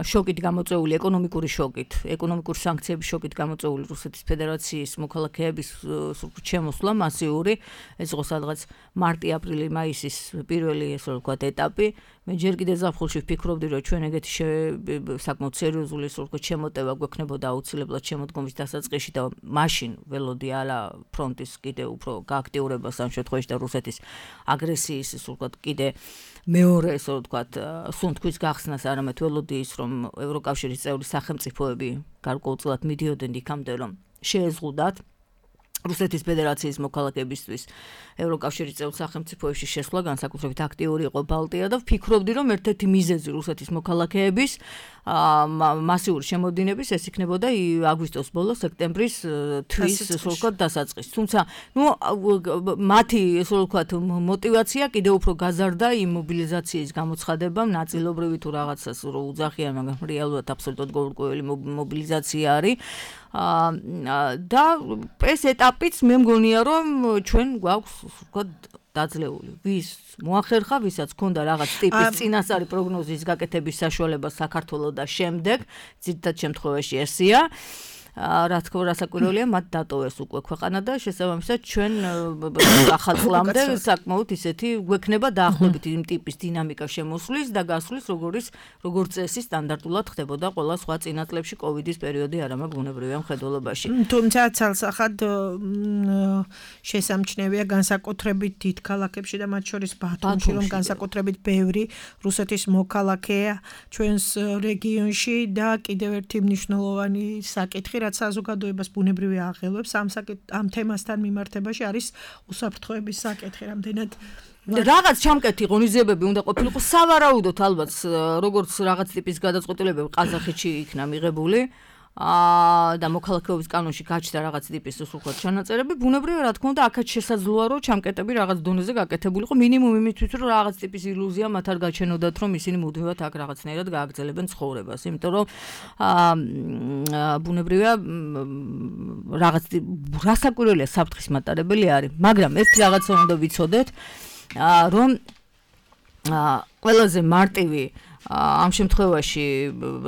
შოკით გამოწვეული ეკონომიკური შოკით, ეკონომიკური სანქციების შოკით გამოწვეული რუსეთის ფედერაციის მოქალაქეების შემოსვლა მასიური, ეს იყო სადღაც მარტი-აპრილი, მაისის პირველი ესე ვთქვათ ეტაპი. მე ჯერ კიდევ ზაფხულში ვფიქრობდი, რომ ჩვენ ეგეთი საკმაოდ სერიოზული ესე ვთქვათ შემოტევა გვექნებოდა აუცილებლად შემოდგომის დასაწყისში და მაშინ ველოდი ალა ფრონტის კიდევ უფრო გააქტიურებას ამ შემთხვევაში და რუსეთის აგრესიის ესე ვთქვათ კიდე მეორე ესე ვთქვათ სუნთქვის გახსნას, არამედ ველოდი ის, რომ ევროკავშირის წევრი სახელმწიფოები გარკვეულწილად მიდიოდნენ იქამდე, რომ შეეზღუდათ რუსეთის ფედერაციის მოქალაქეებისთვის ევროკავშირის წევრ სახელმწიფოებში შესვლა განსაკუთრებით აქტიური იყო ბალტია და ვფიქრობდი, რომ ერთ-ერთი მიზეზი რუსეთის მოქალაქეების მასიური შემოდინების ეს იქნებოდა აგვისტოს ბოლოს, სექტემბრის თვის ესე ვთქვათ დასაწყისში. თუმცა, ნუ მათი ესე ვთქვათ мотиваცია კიდევ უფრო გაზარდა იმ მობილიზაციის გამოცხადებამ, ნაწილობრივი თუ რაღაცას რო უძახიან, მაგრამ რეალურად აბსოლუტურად გაურკვეველი მობილიზაცია არის. და ეს ეტაპიც მე მგონია, რომ ჩვენ გვაქვს ვთქვათ დაძლეული. ვის მოახერხა, ვისაც ჰქონდა რაღაც ტიპის წინასწარი პროგნოზის გაკეთების საშუალება საქართველოს და შემდეგ, ძირითად შემთხვევაში ესია. რა თქმა უნდა, საკურველია, მათ დატოვეს უკვე ქვეყანა და შესაბამისად ჩვენ ახალ წლამდე საკმაოდ ისეთი გვექნება დაახლოებით იმ ტიპის დინამიკა შემოსვლის და გასვლის, როგორც როგორც წესი სტანდარტულად ხდებოდა ყველა სხვა წინა წლებში კოვიდის პერიოდი არ ამაგ ბუნებრივია მხედველობაში. თუმცა ცალსახად შესამჩნევია განსაკუთრებით დიდ ქალაქებში და მათ შორის ბათუმში, რომ განსაკუთრებით ბევრი რუსეთის მოქალაქეა ჩვენს რეგიონში და კიდევ ერთი მნიშვნელოვანი საკითხი რაც საზოგადოებას ბუნებრივი აღელვებს ამ ამ თემასთან მიმართებაში არის უსაფრთხოების საკითხი, რამდენად რაღაც ჩამკეთი ღონისძიებები უნდა ყოფილიყო სავარაუდოდ ალბათ როგორც რაღაც ტიპის გადაწყვეტილებები ყაზახეთში იქნა მიღებული და მოქალაქეობის კანონში გაჩნდა რაღაც ტიპის უხოთ ჩანაწერები, ბუნებრივია რა თქმა უნდა აქაც შესაძლოა რომ ჩამკეტები რაღაც დონეზე გაკეთებულიყო მინიმუმ იმისთვის რომ რაღაც ტიპის ილუზია მათ არ გაჩენოდათ რომ ისინი მუდმივად აქ რაღაცნაირად გააგრძელებენ ცხოვრებას, იმიტომ რომ ბუნებრივია რაღაც რასაკვირველია საფრთხის მატარებელი არის, მაგრამ ერთ რაღაცა უნდა ვიცოდეთ რომ ყველაზე მარტივი ამ შემთხვევაში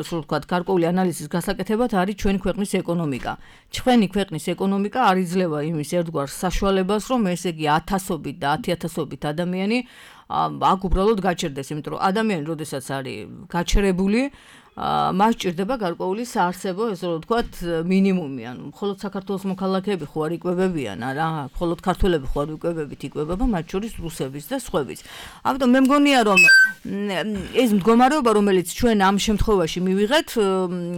სულ ვთქვათ გარკვეული ანალიზის გასაკეთებად არის ჩვენი ქვეყნის ეკონომიკა. ჩვენი ქვეყნის ეკონომიკა არ იძლევა იმის ერთგვარ საშუალებას, რომ ესე იგი ათასობით და ათიათასობით ადამიანი აქ უბრალოდ გაჩერდეს, იმიტომ რომ ადამიანი როდესაც არის გაჩერებული მას ჭირდება გარკვეული საარსებო, ესე რომ ვთქვათ, მინიმუმი, ანუ მხოლოდ საქართველოს მოქალაქეები ხო არ იკვებებიან, არა, მხოლოდ ქართველები ხო არ იკვებებით, იკვებება მათ შორის რუსებიც და სხვებიც. ამიტომ მე მგონია, რომ ეს მდგომარეობა, რომელიც ჩვენ ამ შემთხვევაში მივიღეთ,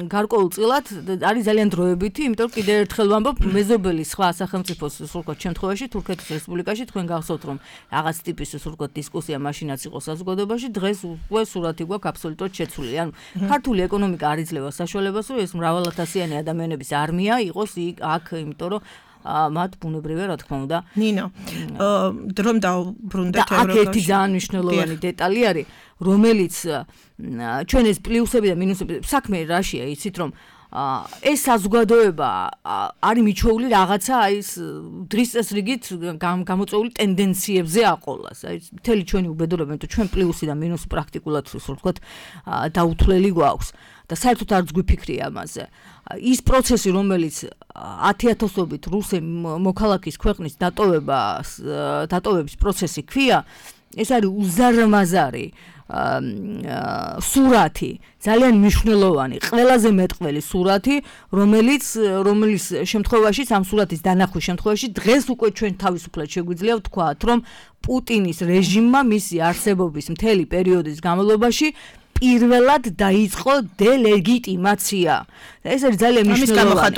გარკვეულწილად არის ძალიან დროებითი, იმიტომ რომ კიდევ ერთხელ ვამბობ, მეზობელი სხვა სახელმწიფოს სულკოთ შემთხვევაში თურქეთის რესპუბლიკაში თქვენ გახსოვთ, რომ რაღაც ტიპის სულკოთ დისკუსია მაშინაც იყო საზოგადოებაში, დღეს უკვე სურათი გვაქვს აბსოლუტურად შეცვლილი. ანუ ქართული ეკონომიკა არ იძლევა საშუალებას, რომ ეს მრავალათასიანი ადამიანების არმია იყოს აქ, იმიტომ რომ მათ ბუნებრივია რა თქმა უნდა. ნინო, დრომ დავბრუნდეთ ევროკავშირში. აქ ერთი ძალიან მნიშვნელოვანი დეტალი არის, რომელიც ჩვენ ეს პლუსები და მინუსები საქმე რაშია, იცით რომ ეს საზოგადოება არის მიჩვეული რაღაცა აი ეს დღის წესრიგით გამოწვეული ტენდენციებზე აყოლას. აი მთელი ჩვენი უბედურება, იმიტომ ჩვენ პლუსი და მინუსი პრაქტიკულად ისე ვთქვათ დაუთვლელი გვაქვს და საერთოდ არც გვიფიქრია ამაზე. ის პროცესი, რომელიც ათიათასობით რუსი მოქალაქის ქვეყნის დატოვება დატოვების პროცესი ქვია, ეს არის უზარმაზარი სურათი, ძალიან მნიშვნელოვანი, ყველაზე მეტყველი სურათი, რომელიც რომელიც შემთხვევაში ამ სურათის დანახვის შემთხვევაში დღეს უკვე ჩვენ თავისუფლად შეგვიძლია ვთქვათ, რომ პუტინის რეჟიმმა მისი არსებობის მთელი პერიოდის განმავლობაში პირველად დაიწყო დელეგიტიმაცია. ეს არის ძალიან მნიშვნელოვანი.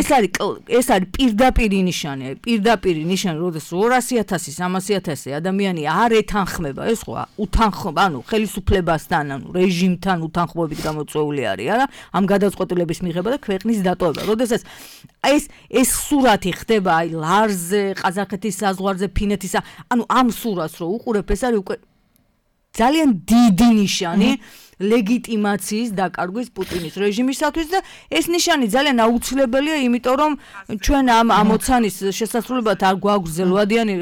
ეს არის ეს არის პირდაპირი ნიშანი, პირდაპირი ნიშანი, როდესაც ორასი ათასი, სამასი ათასი ადამიანი არ ეთანხმება, ეს ხო უთანხმობა, ანუ ხელისუფლებასთან, ანუ რეჟიმთან უთანხმოებით გამოწვეული არის, არა? ამ გადაწყვეტილების მიღება და ქვეყნის დატოვება. როდესაც ეს ეს სურათი ხდება აი ლარზე, ყაზახეთის საზღვარზე, ფინეთისა, ანუ ამ სურათს რო უყურებ, ეს არის უკვე ძალიან დიდი ნიშანი ლეგიტიმაციის დაკარგვის პუტინის რეჟიმისათვის და ეს ნიშანი ძალიან აუცილებელია, იმიტომ რომ ჩვენ ამ ამოცანის შესასრულებლად არ გვაქვს ზელვადიანი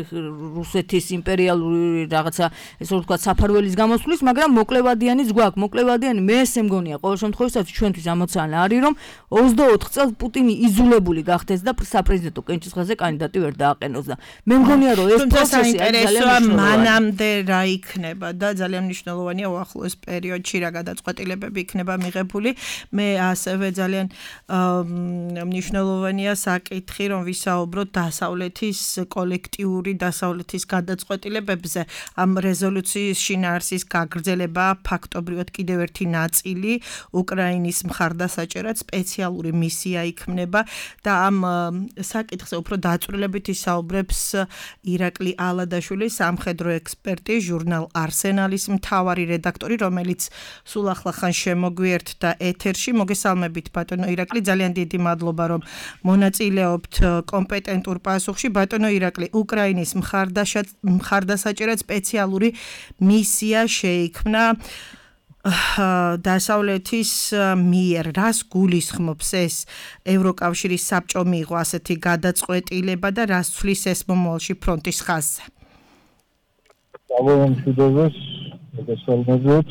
რუსეთის იმპერიალური რაღაცა ესე ვთქვათ საფარველის გამოსვლის, მაგრამ მოკლევადიანიც გვაქვს. მოკლევადიანი მე ესე მგონია ყოველ შემთხვევაში ჩვენთვის ამოცანა არის, რომ ოცდაოთხ წელს პუტინი იზოლებული გახდეს და საპრეზიდენტო კენჭისყრაზე კანდიდატი ვერ დააყენოს და მე მგონია რომ ეს პროცესი არის ძალიან მნიშვნელოვანი. მანამდე რა იქნება და ძალიან მნიშვნელოვანია უახლოეს პერიოდში რა გადაწყვეტილებები იქნება მიღებული. მე ასევე ძალიან მნიშვნელოვანია საკითხი, რომ ვისაუბროთ დასავლეთის კოლექტიური დასავლეთის გადაწყვეტილებებზე. ამ რეზოლუციის შინაარსის გაგრძელება ფაქტობრივად კიდევ ერთი ნაწილი უკრაინის მხარდასაჭერად სპეციალური მისია იქმნება და ამ საკითხზე უფრო დაწვრილებით ისაუბრებს ირაკლი ალადაშვილი, სამხედრო ექსპერტი, ჟურნალ არსენალის მთავარი რედაქტორი, რომელიც სულ ახლა ხან შემოგვიერთდა ეთერში. მოგესალმებით ბატონო ირაკლი, ძალიან დიდი მადლობა რომ მონაწილეობთ კომპეტენტურ პასუხში. ბატონო ირაკლი, უკრაინის მხარდასაჭერად სპეციალური მისია შეიქმნა დასავლეთის მიერ. რას გულისხმობს ეს? ევროკავშირის საბჭო მიიღო ასეთი გადაწყვეტილება და რას ცვლის ეს მომავალში ფრონტის ხაზზე? გამომშვიდობეს, მოგესალმებით.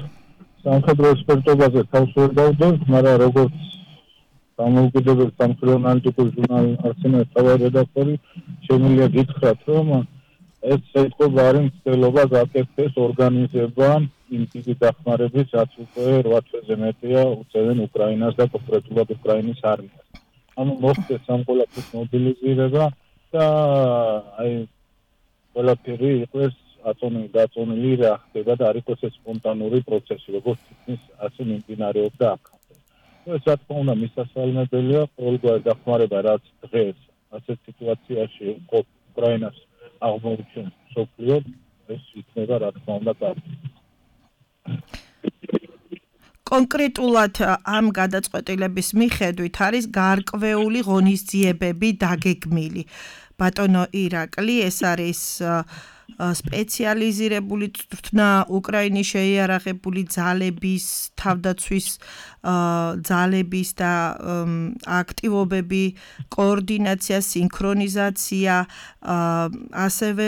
სამხედრო ექსპერტობაზე თავს ვერ დავდებ, მაგრამ როგორც დამოუკიდებელ სამხედრო ანალიტიკურ ჟურნალ არსენალის თავარი რედაქტორი, შემიძლია გითხრათ, რომ ეს საიტყობა არის მცდელობა გაკეთდეს ორგანიზება იმ ტიპის დახმარების, რაც უკვე რვა თვეზე მეტია უწევენ უკრაინას და კონკრეტულად უკრაინის არმიას. ანუ მოხდეს ამ ყველაფრის მობილიზირება და აი ყველაფერი იყოს აწონილი დაწონილი რა ხდება და არ იყოს ეს სპონტანური პროცესი, როგორც თითქმის ასე მიმდინარეობდა აქამდე. ეს რა თქმა უნდა მისასალმებელია, ყოველგვარი დახმარება რაც დღეს ასეთ სიტუაციაში უკრაინას აღმოუჩენს მსოფლიო, ეს იქნება რა თქმა უნდა კარგი. კონკრეტულად ამ გადაწყვეტილების მიხედვით არის გარკვეული ღონისძიებები დაგეგმილი. ბატონო ირაკლი, ეს არის სპეციალიზირებული წვრთნა უკრაინის შეიარაღებული ძალების თავდაცვის ძალების და აქტივობები, კოორდინაცია, სინქრონიზაცია, ასევე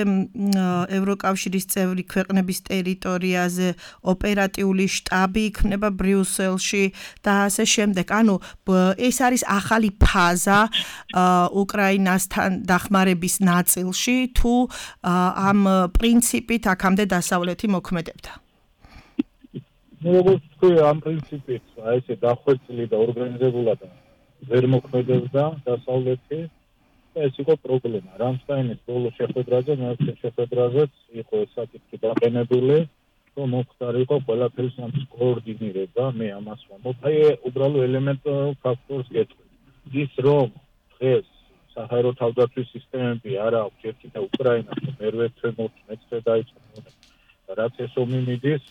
ევროკავშირის წევრი ქვეყნების ტერიტორიაზე ოპერატიული შტაბი იქნება ბრიუსელში და ასე შემდეგ. ანუ ეს არის ახალი ფაზა უკრაინასთან დახმარების ნაწილში, თუ ამ პრინციპით აქამდე დასავლეთი მოქმედებდა. როგორც თქვი, ამ პრინციპით, აი ესე დახვეწილი და ორგანიზებულად ვერ მოქმედებდა დასავლეთი და ეს იყო პრობლემა. რამსტაინის ბოლო შეხვედრაზე, მეორე შეხვედრაზეც იყო ეს საკითხი დაყენებული, რომ მოხდარიყო ყველაფერი სამის კოორდინირება, მე ამას ვამბობ. აი უბრალო ელემენტურ ფაქტორს გეტყვი. ის რომ დღეს საჰაერო თავდაცვის სისტემები არ აქვს ერთი და უკრაინას მერვე თემოთ მეცხრე დაიწყო. რაც ეს ომი მიდის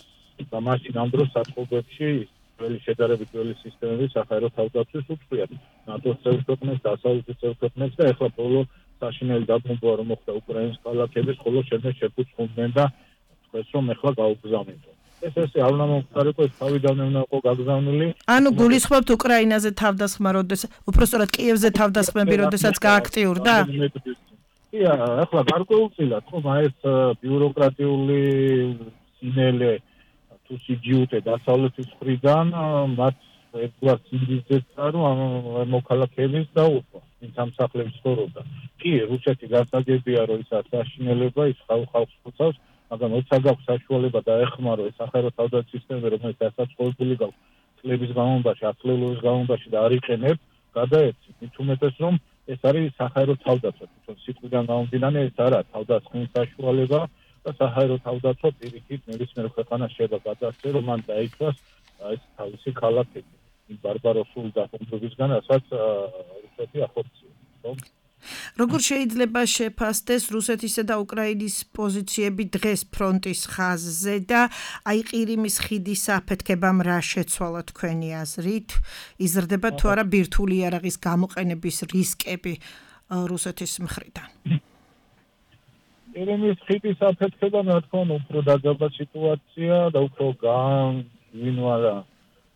და მაშინ ამ დროს საწყობებში ძველი შედარებით ძველი სისტემები საჰაერო თავდაცვის უწყვიათ ნატოს წევრ ქვეყნებს, დასავლეთის წევრ ქვეყნებს და ეხლა ბოლო საშინელი დაბომბვა რომ მოხდა უკრაინის ქალაქების, ხოლო შემდეგ შეფუძხდნენ და თქვეს რომ ეხლა გაუგზავნიდო. ეს ესე არ უნდა მომხდარიყო, ეს თავიდანვე უნდა იყო გაგზავნილი. ანუ გულისხმობთ უკრაინაზე თავდასხმა, როდესაც უпростоრად კიევზე თავდასხმები, როდესაც გააქტიურდა? ია, ახლა გარკვეულწილად ხომ აი ეს ბიუროკრატიული სინელე თუ სიჯიუტე დასავლეთის მხრიდან მათ ერთგვარ სინდისძებს რომ მოქალაქეების დაუწყო იმ სამსახლების ცხოვრობდა. კი, რუსეთი გასაგებია რომ ის საშინელება ის ხალხს ხოცავს, მაგრამ როცა გაქვს საშუალება და ეხმარო ეს საჰაერო თავდაცვის სისტემები, რომელიც დასაწყობილი გაქვს წლების განმავლობაში, ათწლეულის განმავლობაში და არ იყენებს, გადაეცით. მით უმეტეს რომ ეს არის საჰაერო თავდაცვა, თვითონ სიტყვიდან გამომდინარე ეს არა თავდასხმის საშუალება და საჰაერო თავდაცვა პირიქით ნებისმიერ ქვეყანას შეიძლება გადასცეს, რომ მან დაიცვას ეს თავისი ქალაქები იმ ბარბაროსულ დახმარებისგან, რასაც რუსეთი ახორციელებს. როგორ შეიძლება შეფასდეს რუსეთისა და უკრაინის პოზიციები დღეს ფრონტის ხაზზე და აი ყირიმის ხიდის აფეთქებამ რა შეცვალა თქვენი აზრით? იზრდება თუ არა ბირთვული იარაღის გამოყენების რისკები რუსეთის მხრიდან? ერემის ხიდის აფეთქება რა თქმა უნდა უფრო დაძაბა სიტუაცია და უფრო განვინვალა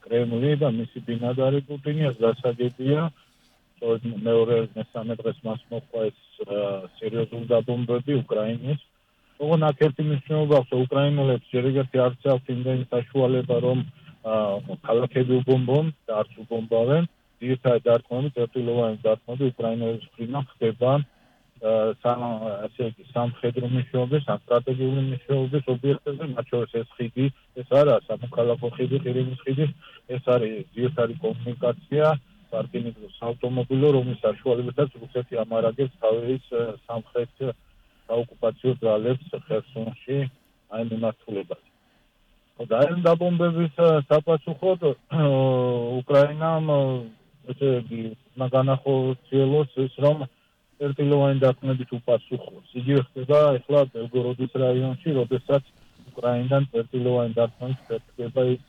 კრემლი და მისი ბინადარი პუტინი დასაგებია. მეორე მესამე დღეს მას მოყვა ეს სერიოზული დაბომბვები უკრაინის. ოღონდ აქ ერთი მნიშვნელობა აქვს, უკრაინელებს ჯერ ერთი არც აქვს იმდენი საშუალება, რომ ქალაქები უბომბონ და არც უბომბავენ. ძირითადად დარტყმები, წერტილოვანი დარტყმები უკრაინელების მხრიდან ხდება ასე იგი სამხედრო მნიშვნელობის, სტრატეგიული მნიშვნელობის ობიექტებზე, მათ შორის ეს ხიდი, ეს არა სამოქალაქო ხიდი, ყირიმის ხიდი, ეს არის ძირითადი კომუნიკაცია, სარკინიგზო საავტომობილო, რომლის საშუალებითაც რუსეთი ამარაგებს თავის სამხრეთ საოკუპაციო ძალებს ხერსონში აი მიმართულებაზე. და ამ დაბომბების საპასუხოდ უკრაინამ ესე იგი განახორციელოს ის რომ წერტილოვანი დარტყმებით უპასუხოს. იგივე ხდება ახლა ბელგოროდის რაიონში, როდესაც უკრაინიდან წერტილოვანი დარტყმებით ხდება ის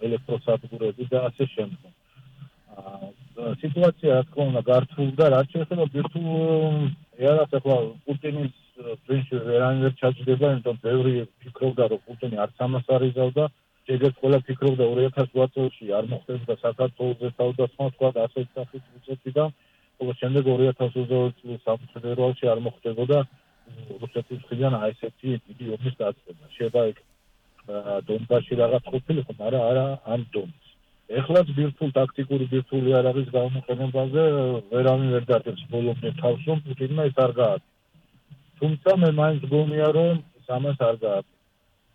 ელექტროსადგურები და ასე შემდეგ. სიტუაცია რა თქმა უნდა გართულდა, რაც შეეხება ბირთვულ იარაღს, ახლა პუტინის პრინციპი ვერანაირად ჩაჯდება, იმიტომ ბევრი ფიქრობდა, რომ პუტინი არც ამას არ იზავდა, შეგეც ყველა ფიქრობდა ორი ათას რვა წელს არ მოხდებოდა საქართველოს თავდა სხვა სხვა ასეთ სახის რუსეთიდან, ხოლო შემდეგ ორი ათას ოცდაორი წლის საფრთხეებში არ მოხდებოდა რუსეთის მხრიდან აი ესეთი დიდი ომის დაწყება. შეიძლება იქ დონბასში რაღაც ყოფილიყო, მაგრამ არა ამ დონეს. ეხლაც ბირთვულ ტაქტიკური ბირთვული იარაღის გამოყენებაზე ვერავინ ვერ დარწმუნებს ბოლომდე თავს, რომ პუტინმა ეს არ გააკეთა. თუმცა მე მაინც გონია, რომ ამას არ გააკეთა.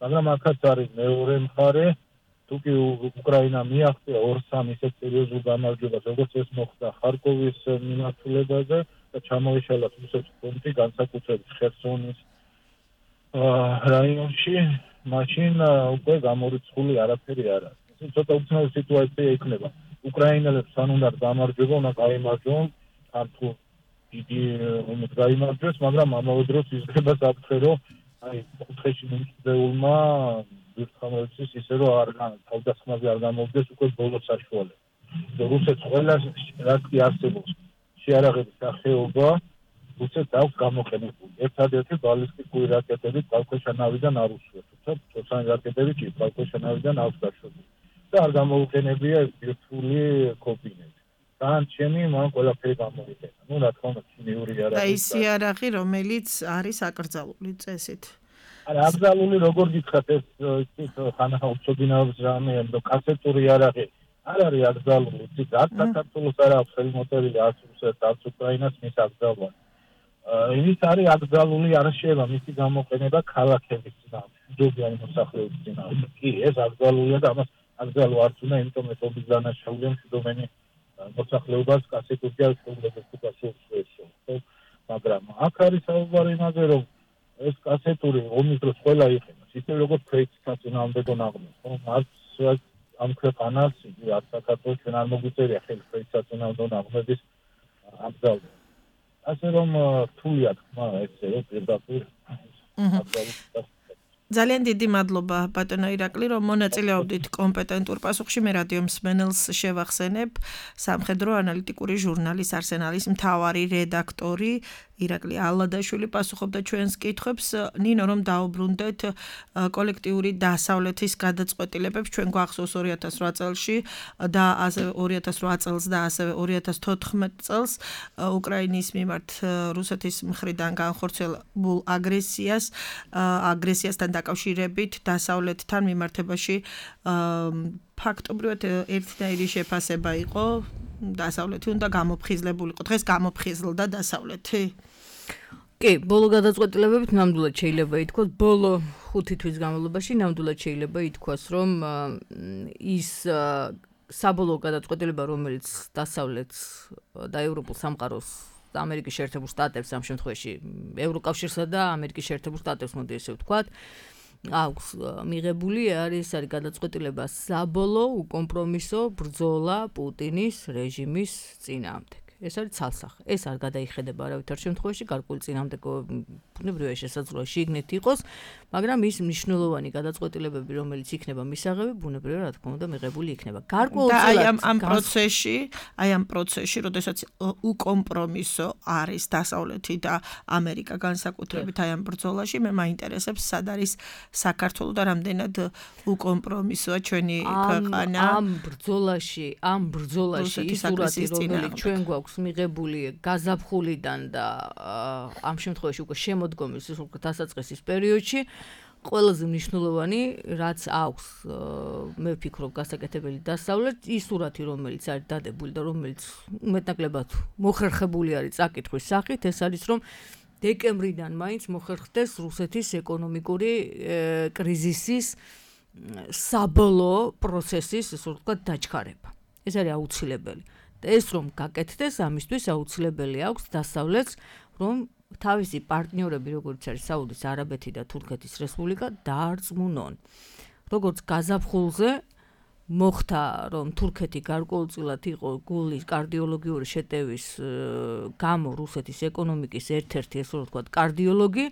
მაგრამ აქაც არის მეორე მხარე, თუ კი უკრაინა მიაღწია ორ-სამ ისეთ სერიოზულ გამარჯვებას, როგორც ეს მოხდა ხარკოვის მიმართულებაზე და ჩამოეშალა რუსეთის ფრონტი, განსაკუთრებით ხერსონის რაიონში, მაშინ უკვე გამორიცხული არაფერი არ არის. ეს ცოტა უცნაური სიტუაცია იქნება. უკრაინელებს თან უნდა გამარჯვება, უნდა გაიმარჯვონ, თან თუ დიდი ომით გაიმარჯვეს, მაგრამ ამავე დროს იზრდება საფრთხე, რომ აი კუთხეში მიმწვეულმა ბირთვამოეცეს ისე რომ არ თავდასხმაზე არ გამოვიდეს უკვე ბოლოს საშუალება. რუსეთს ყველა რაც კი არსებობს შეარაღების სახეობა რუსეთს აქვს გამოყენებული. ერთადერთი ბალისტიკური რაკეტები წყალქვეშანავიდან არ უსვევს, თუმცა წოცანი რაკეტები კი წყალქვეშანავიდან აქვს გაშვებული. და არ გამოუყენებია ეს ბირთვული კობინები. განჩენი მან ყველაფერი გამოიყენა. ნუ რა თქმა უნდა ქიმიური იარაღი. და ის იარაღი, რომელიც არის აკრძალული წესით. არა, აკრძალული როგორ გითხრათ ეს ის ხანა უცოდინაობის რამე, რომ კასეტური იარაღი არ არის აკრძალული, ის არც საქართველოს არ აქვს ხელმოწერილი არც რუსეთს, არც უკრაინას მის აკრძალვა. ის არის აკრძალული, არ შეიძლება მისი გამოყენება ქალაქების წინააღმდეგ, მდობიანი მოსახლეობის წინააღმდეგ. კი, ეს აკრძალულია და ამას აკრძალვა არც უნდა, იმიტომ ეს ობის დანაშაულია მშვიდობიანი მოსახლეობას კასეტური შეუძლებს თუ გასულსვესო. მაგრამ აქ არის საუბარი იმაზე, რომ ეს კასეტური ომის დროს ყველა იყენებს, ისე როგორც ქვეითთა წინააღმდეგო ნაღმებს. არც ამ ქვეყანას, არც საქართველოს ჩვენ არ მოგვიწერია ხელი ქვეითთა წინააღმდეგო ნაღმების აკრძალვა. ასე რომ რთულია თქმა ესე რომ პირდაპირ აკრძალვა. ძალიან დიდი მადლობა ბატონო ირაკლი, რომ მონაწილეობდით კომპეტენტურ პასუხში. მე რადიო მსმენელს შევახსენებ, სამხედრო ანალიტიკური ჟურნალის არსენალის მთავარი რედაქტორი ირაკლი ალადაშვილი პასუხობდა ჩვენს კითხვებს. ნინო, რომ დაუბრუნდეთ კოლექტიური დასავლეთის გადაწყვეტილებებს, ჩვენ გვახსოვს ორი ათას რვა წელში და ასევე ორი ათას რვა წელს და ასევე ორი ათას თოთხმეტ წელს უკრაინის მიმართ რუსეთის მხრიდან განხორციელებულ აგრესიას აგრესიასთან დაკავშირებით დასავლეთთან მიმართებაში ფაქტობრივად ერთნაირი შეფასება იყო. დასავლეთი უნდა გამოფხიზლებულიყო. დღეს გამოფხიზლდა დასავლეთი. კი, ბოლო გადაწყვეტილებებით ნამდვილად შეიძლება ითქვას, ბოლო ხუთი თვის განმავლობაში ნამდვილად შეიძლება ითქვას, რომ ის საბოლოო გადაწყვეტილება, რომელიც დასავლეთს და ევროპულ სამყაროს და ამერიკის შეერთებულ შტატებს ამ შემთხვევაში ევროკავშირსა და ამერიკის შეერთებულ შტატებს მოდი ესე ვთქვათ, აქვს მიღებული არის არის გადაწყვეტილება საბოლოო უკომპრომისო ბრძოლა პუტინის რეჟიმის წინააღმდეგ. ეს არის ცალსახე. ეს არ გადაიხედება არავითარ შემთხვევაში, გარკვეული წინამდებო ბუნებრივია შესაძლოა შიგნით იყოს, მაგრამ ის მნიშვნელოვანი გადაწყვეტილებები, რომელიც იქნება მისაღები, ბუნებრივია რა თქმა უნდა მიღებული იქნება. გარკვეულწილად აი ამ ამ პროცესში, აი ამ პროცესში, როდესაც უკომპრომისო არის დასავლეთი და ამერიკა განსაკუთრებით აი ამ ბრძოლაში, მე მაინტერესებს სად არის საქართველო და რამდენად უკომპრომისოა ჩვენი ქვეყანა. ამ ბრძოლაში, ამ ბრძოლაში ის სურათი, რომელიც ჩვენ გვაქვს მიღებული გაზაფხულიდან და ამ შემთხვევაში უკვე შემოდგომის უკვე დასაწყისის პერიოდში, ყველაზე მნიშვნელოვანი, რაც აქვს, მე ვფიქრობ, გასაკეთებელი დასავლეთ, ის სურათი, რომელიც არის დადებული და რომელიც მეტნაკლებად მოხერხებული არის წაკითხვის სახით, ეს არის რომ დეკემბრიდან მაინც მოხერხდეს რუსეთის ეკონომიკური კრიზისის საბოლოო პროცესის, ასე ვთქვათ, დაჩქარება. ეს არის აუცილებელი. და ეს რომ გაკეთდეს, ამისთვის აუცილებელი აქვს დასავლეთს, რომ თავისი პარტნიორები, როგორც არის საუდის არაბეთი და თურქეთის რესპუბლიკა, დაარწმუნონ. როგორც გაზაფხულზე მოხდა, რომ თურქეთი გარკვეულწილად იყო გულის კარდიოლოგიური შეტევის გამო რუსეთის ეკონომიკის ერთ-ერთი, ასე ვთქვათ, კარდიოლოგი,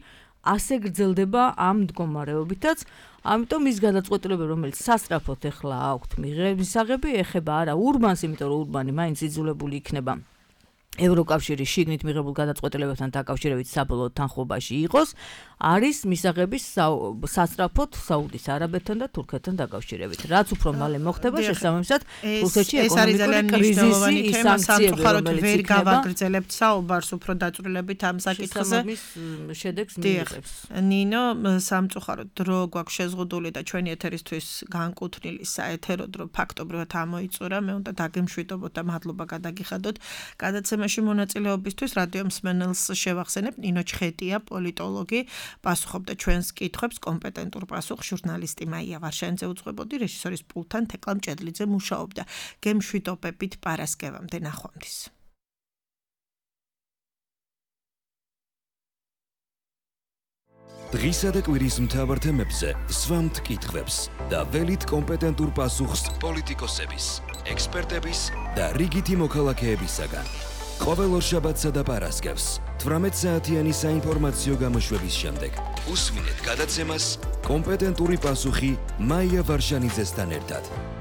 ასე გრძელდება ამ მდგომარეობითაც. ამიტომ ის გადაწყვეტილებები, რომელიც სასწრაფოდ ეხლა აქვთ მიღებისაღები, ეხება არა ურბანს, იმიტომ რომ ურბანი მაინც იძულებული იქნება ევროკავშირის შიგნით მიღებულ გადაწყვეტილებებთან დაკავშირებით საბოლოო თანხმობაში იყოს, არის მისაღები სასწრაფოდ საუდის არაბეთთან და თურქეთთან დაკავშირებით. რაც უფრო მალე მოხდება, შესაბამისად, რუსეთში ეკონომიკური კრიზისი, ის სანქციები, რომელიც ვერ გავაგრძელებთ საუბარს უფრო დაწვრილებით ამ საკითხზე. შედეგს მიიღებს. ნინო, სამწუხაროდ დრო გვაქვს შეზღუდული და ჩვენი ეთერისთვის განკუთვნილი საეთერო დრო ფაქტობრივად ამოიწურა. მე უნდა დაგემშვიდობოთ და მადლობა გადაგიხადოთ. გადაცემაში მონაწილეობისთვის რადიო მსმენელს შევახსენებ, ნინო ჩხეტია, პოლიტოლოგი, პასუხობდა ჩვენს კითხვებს, კომპეტენტურ პასუხს ჟურნალისტი მაია ვარშანიძე უძღვებოდი, რეჟისორის პულტთან თეკლა მჭედლიძე მუშაობდა. გემშვიდობებით პარასკევამდე, ნახვამდის. დღისა და კვირის მთავარ თემებზე სვამთ კითხვებს და ველით კომპეტენტურ პასუხს პოლიტიკოსების, ექსპერტების და რიგითი მოქალაქეებისაგან. ყოველ ორშაბათსა და პარასკევს თვრამეტ საათიანი საინფორმაციო გამოშვების შემდეგ უსმინეთ გადაცემას კომპეტენტური პასუხი მაია ვარშანიძესთან ერთად.